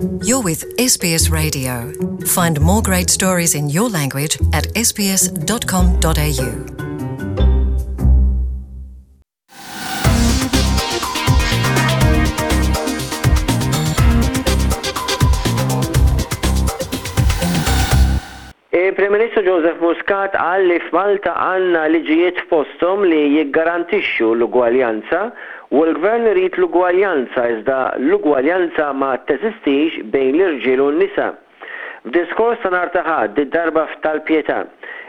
You're with SBS Radio. Find more great stories in your language at sbs.com.au. Il-Prim Ministru Joseph Muscat qal li f'Malta għandna liġijiet f'posthom li jiggarantixxu l-ugwaljanza u l-Gvern irid l-ugwaljanza iżda l-ugwaljanza ma teżistix bejn l-irġiel u n-nisa. F'diskors ta' nhar ta' Ħadd, did-darba f'Tal-Pietà,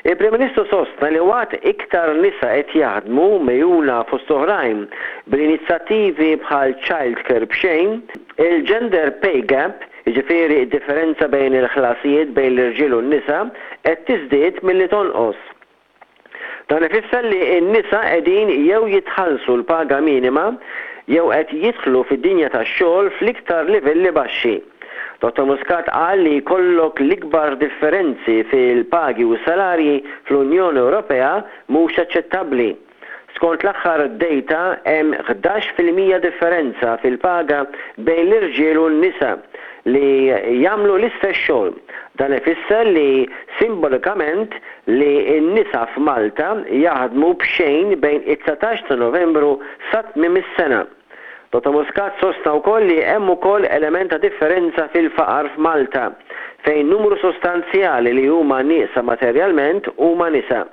il-Prim Ministru sostna li waqt iktar nisa qed jaħdmu, megħjuna fost oħrajn bl-inizjattivi bħal childcare b'xejn, il-gender pay gap, Jiġifieri d-differenza bejn il-ħlasijiet bejn l-irġiel u n-nisa qed tiżdied milli tonqos. Dan ifisser li n-nisa qegħdin jew jitħallsu l-paga minima jew qed jidħlu fid-dinja tax-xogħol fl-iktar livelli baxxi. Dottor Muscat qal li jkollok l-ikbar differenzi fil-pagi u s-salarji fl-Unjoni Ewropea mhux aċċettabbli. Skont l-aħħar dejta hemm 11% differenza fil-paga bejn l-irġiel u n-nisa li jagħmlu l-istess xogħol. Dan ifisser li simbolikament li n-nisa f'Malta jaħdmu b'xejn bejn it-19 ta' Novembru sa tmiem is-sena. Dottor Muscat sostna wkoll li hemm ukoll element ta' differenza fil-faqar f'Malta, fejn numru sostanzjali li huma nieqsa materjalment huma nisa.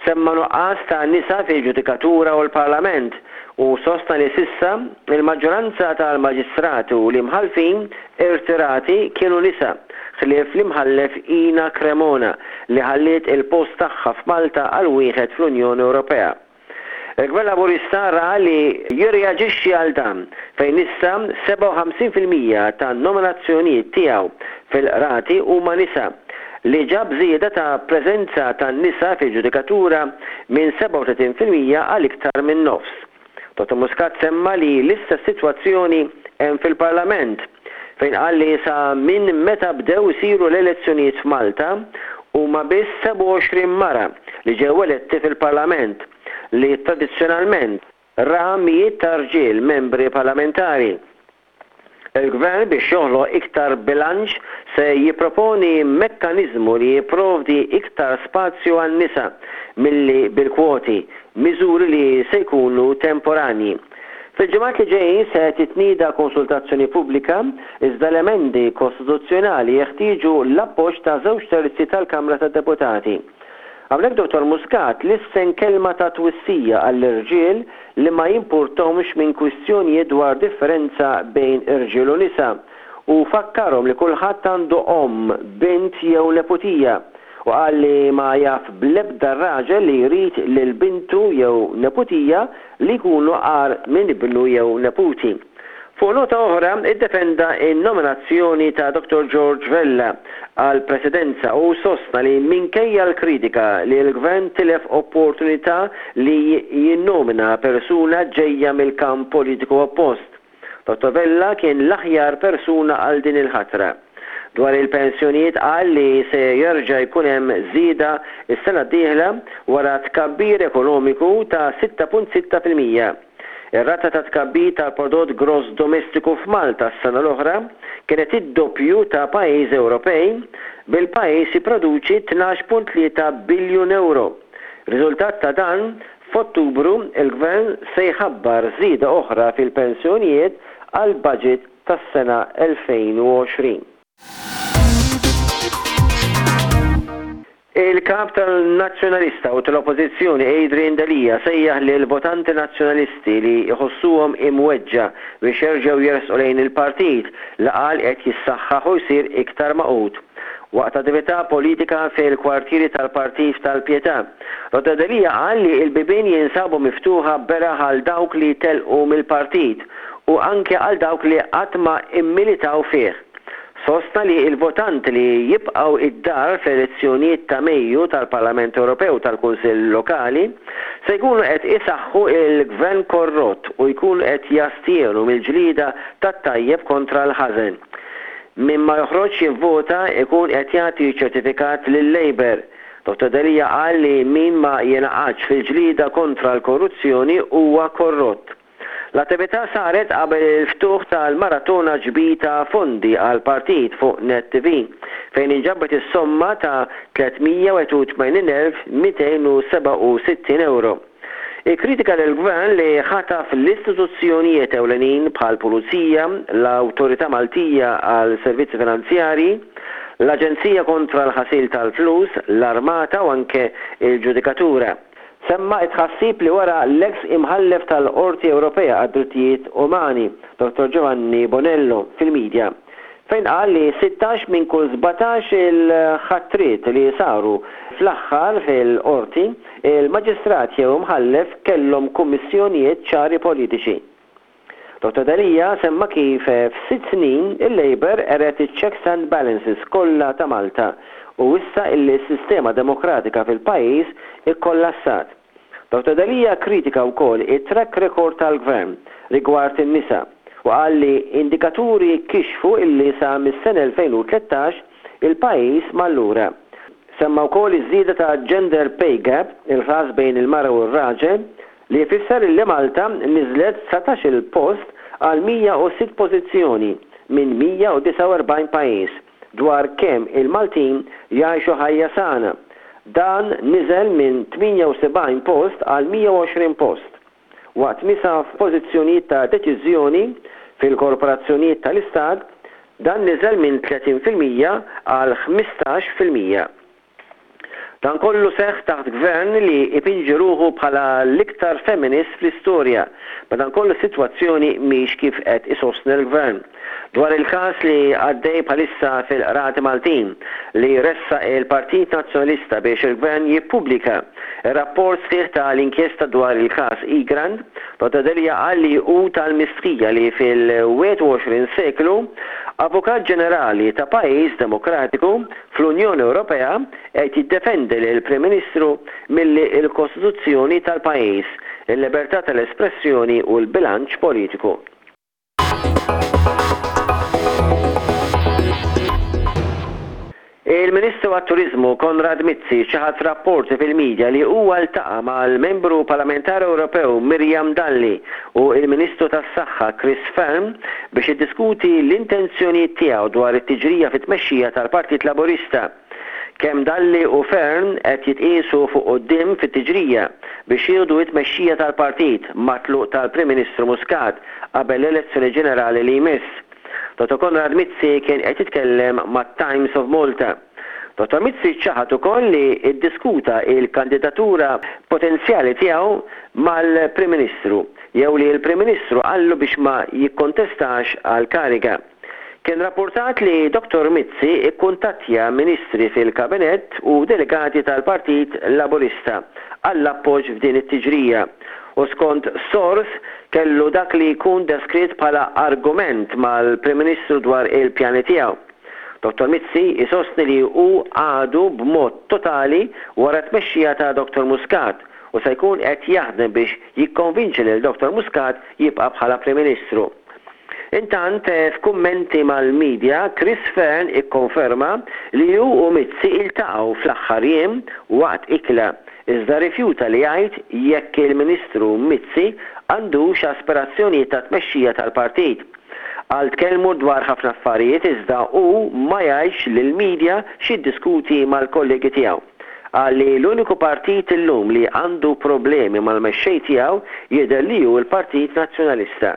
Semma nuqqas ta' nisa fil-ġudikatura u l-Parlament u sostna li s'issa, il-maġġoranza tal-maġistrati u l-imħallfin irtirati kienu nisa, ħlief l-Imħallef Ina Cremona li ħalliet il-post tagħha f'Malta għal wieħed fl-Unjoni Ewropea. Il-Gvern Laburista ra li jirreaġixxi għal dan, fejn issa 57% tan-nominazzjonijiet tiegħu fil-Qrati huma nisa, li ġab żieda ta' preżenza tan-nisa fil-ġudikatura minn 37% għal iktar minn nofs. Dottor Muscat semma li l-istess sitwazzjoni hemm fil-Parlament, fejn qal li sa minn meta bdew isiru l-elezzjonijiet f'Malta, huma biss 27 mara li ġew eletti fil-Parlament, li tradizzjonalment ra mijiet ta' rġiel membri parlamentari. Il-Gvern biex joħloq iktar bilanċ se jipproponi mekkaniżmu li jipprovdi iktar spazju għan-nisa milli bil-kwoti, miżuri li se jkunu temporanji. Fil-ġimgħat li ġejjin se titnieda konsultazzjoni pubblika, iżda l-emendi kostituzzjonali jeħtieġu l-appoġġ ta' żewġ terzi tal-Kamra tad-Deputati. Hawnhekk Dottor Muscat lissen kelma ta' twissija għall-irġiel li ma jimpurthomx minn kwistjonijiet dwar differenza bejn irġiel u nisa u fakkarhom li kulħadd għandu omm, bint jew neputija u qal li ma jaf bl-ebda raġel li jrid lil bintu jew neputija li jkunu agħar minn ibnu jew neputi. Fuq nota oħra, iddefenda n-nominazzjoni ta' Dottor George Vella għall-Presidenza u sostna li minkejja l-kritika li l-Gvern tilef opportunità li jinnomina persuna ġejja mill-kamp politiku oppost, Dottor Vella kien l-aħjar persuna għal din il-ħatra. Dwar il-pensjonijiet qal li se jerġa' jkun hemm żieda s-sena d-dieħla wara tkabbir ekonomiku ta' 6.6%. Ir-rata ta' tkabbir tal-prodott gross domestiku f'Malta s-sena l-oħra kienet id-doppju ta' pajjiżi Ewropej, bil-pajjiż jipproduċi 12.3 biljun ewro. Riżultat ta' dan, F'Ottubru, il-Gvern se jħabbar żieda oħra fil-pensjonijiet għall-baġit tas-sena 2020. Il-Kap tal-Nazzjonalista u tal-Oppożizzjoni Adrian Delia sejjaħ lill-votanti Nazzjonalisti li jħossuhom imweġġa' biex jerġgħu jersqu lejn il-partit li qal qed jissaħħaħ u jsir iktar magħqud. Waqt attività politika fil-kwartieri tal-Partit f'Tal-Pietà, Dottor Delia qal li l-bibien jinsabu miftuħa beraħ għal dawk li telqu mill-partit u anke għal dawk li qatt ma mmilitaw fih. Sostna li l-votanti li jibqgħu id-dar fl-elezzjonijiet ta' Mejju tal-Parlament Ewropew u tal-Kunsill Lokali se jkunu qed isaħħu l-Gvern korrott u jkunu qed jastjenu mill-ġlieda tat-tajjeb kontra l-ħażen. Min ma joħroġx jivvota jkun qed jagħti ċertifikat lil-Labour. Dottor Delia qal li min ma jingħaqadx fil-ġlieda kontra l-korruzzjoni huwa korrott. L-attività saret qabel il-ftuħ tal-maratona ġbir ta' fondi għall-partit fuq Net TV, fejn inġabet is-somma ta' 381,267 ewro. Ikkritika lill-Gvern li ħataf l-istituzzjonijiet ewlenin bħall-Pulizija, l-Awtorità Maltija għal Servizzi Finanzjarji, l-Aġenzija Kontra l-Ħasil tal-Flus, l-Armata u anke l-Ġudikatura. Semma t-tħassib li wera l-eks Imħallef tal-Qorti Ewropea għad-Drittijiet Umani, Dottor Giovanni Bonello, fil-midja, fejn qal li 16 minn kull 17 il-ħatriet li saru fl-aħħar fil-Qorti, il-Maġistrat jew Imħallef kellhom kummissjonijiet ċari politiċi. Dottor Delia semma kif f'sitt snin il-Labour qered iċ-checks and balances kollha ta' Malta u wissa illi s-sistema demokratika fil-pajjiż ikkollassat. Dottor Delia kkritika wkoll it-track record tal-Gvern rigward in-nisa u qal li indikaturi kixfu illi sa mis-sena 2013 il-pajjiż mar lura. Semma wkoll iż-żieda ta' gender pay gap, il-ħlas bejn il-mara u r-raġel, li jfisser illi Malta niżlet 19-il post għal 106 pożizzjoni minn 149 pajjiż dwar kemm il-Maltin jgħixu ħajja sana. Dan niżel minn 78 post għal 120 post. Waqt nisa f'pożizzjonijiet ta' deċiżjoni fil-korporazzjonijiet tal-Istat, dan niżel minn 30% għal 15%. Dan kollu seħħ taħt gvern li jpinġi ruħu bħala l-iktar feminist fl-istorja. Madankollu s-sitwazzjoni mhix kif qed isostni l-gvern. Dwar il-każ li għaddej bħalissa fil-Qrati Maltin li ressaq il-Partit Nazzjonalista biex il-Gvern jippubblika r-rapport sħiħ ta' l-inkjesta dwar il-każ Egrant, Dottor Delia qal li hu tal-mistħija li fil-21 seklu Avukat Ġenerali ta' pajjiż demokratiku fl-Unjoni Ewropea qed jiddefendi lill-Prim Ministru milli l-Kostituzzjoni tal-pajjiż, il-libertà tal-espressjoni u l-bilanċ politiku. Il-Ministru għat-Turiżmu Konrad Mizzi ċaħad rapporti fil-midja li huwa ltaqa' mal-Membru Parlamentari Ewropew Miriam Dalli u l-Ministru tas-Saħħa Chris Fearne biex jiddiskuti l-intenzjonijiet tiegħu dwar it-tiġrija fit-tmexxija tal-Partit Laburista. Kemm Dalli u Fearne qed jitqiesu fuq quddiem fit-tiġrija biex jieħdu t-tmexxija tal-partit mat-tluq tal-Prim Ministru Muscat qabel l-elezzjoni ġenerali li jmiss. Dottor Konrad Mizzi kien qed jitkellem mat-Times of Malta. Dottor Mizzi ċaħad ukoll li ddiskuta l-kandidatura potenzjali tiegħu mal-Prim Ministru jew li l-Prim Ministru qallu biex ma jikkontestax għall-kariga. Kien rappurtat li Dottor Mizzi kkuntattja Ministri fil-Kabinett u delegati tal-Partit Laburista għall-appoġġ f'din it-tiġrija u skont sors kellu dak li jkun deskritt bħala argument mal-Prim Ministru dwar il-pjani tiegħu. Dottor Mizzi jsostni li hu għadu b'mod totali wara t-tmexxija ta' Dottor Muscat u se jkun qed jaħdem biex jikkonvinċi lil Dottor Muscat jibqa' bħala Prim Ministru. Intant, f'kummenti mal-midja, Chris Fearne ikkonferma li hu u Mizzi iltaqgħu fl-aħħar jiem waqt ikla, iżda rrifjuta li jgħid jekk il-Ministru Mizzi għandux aspirazzjonijiet ta' tmexxija tal-partit. Qal tkellmu dwar ħafna affarijiet iżda hu ma jgħidx lill-midja x'jiddiskuti mal-kollegi tiegħu. Qal li l-uniku partit illum li għandu problemi mal-mexxej tiegħu jidher li hu l-Partit Nazzjonalista.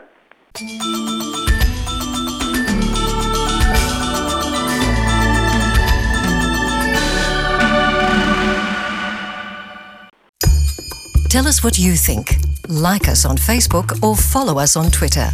Tell us what you think. Like us on Facebook or follow us on Twitter.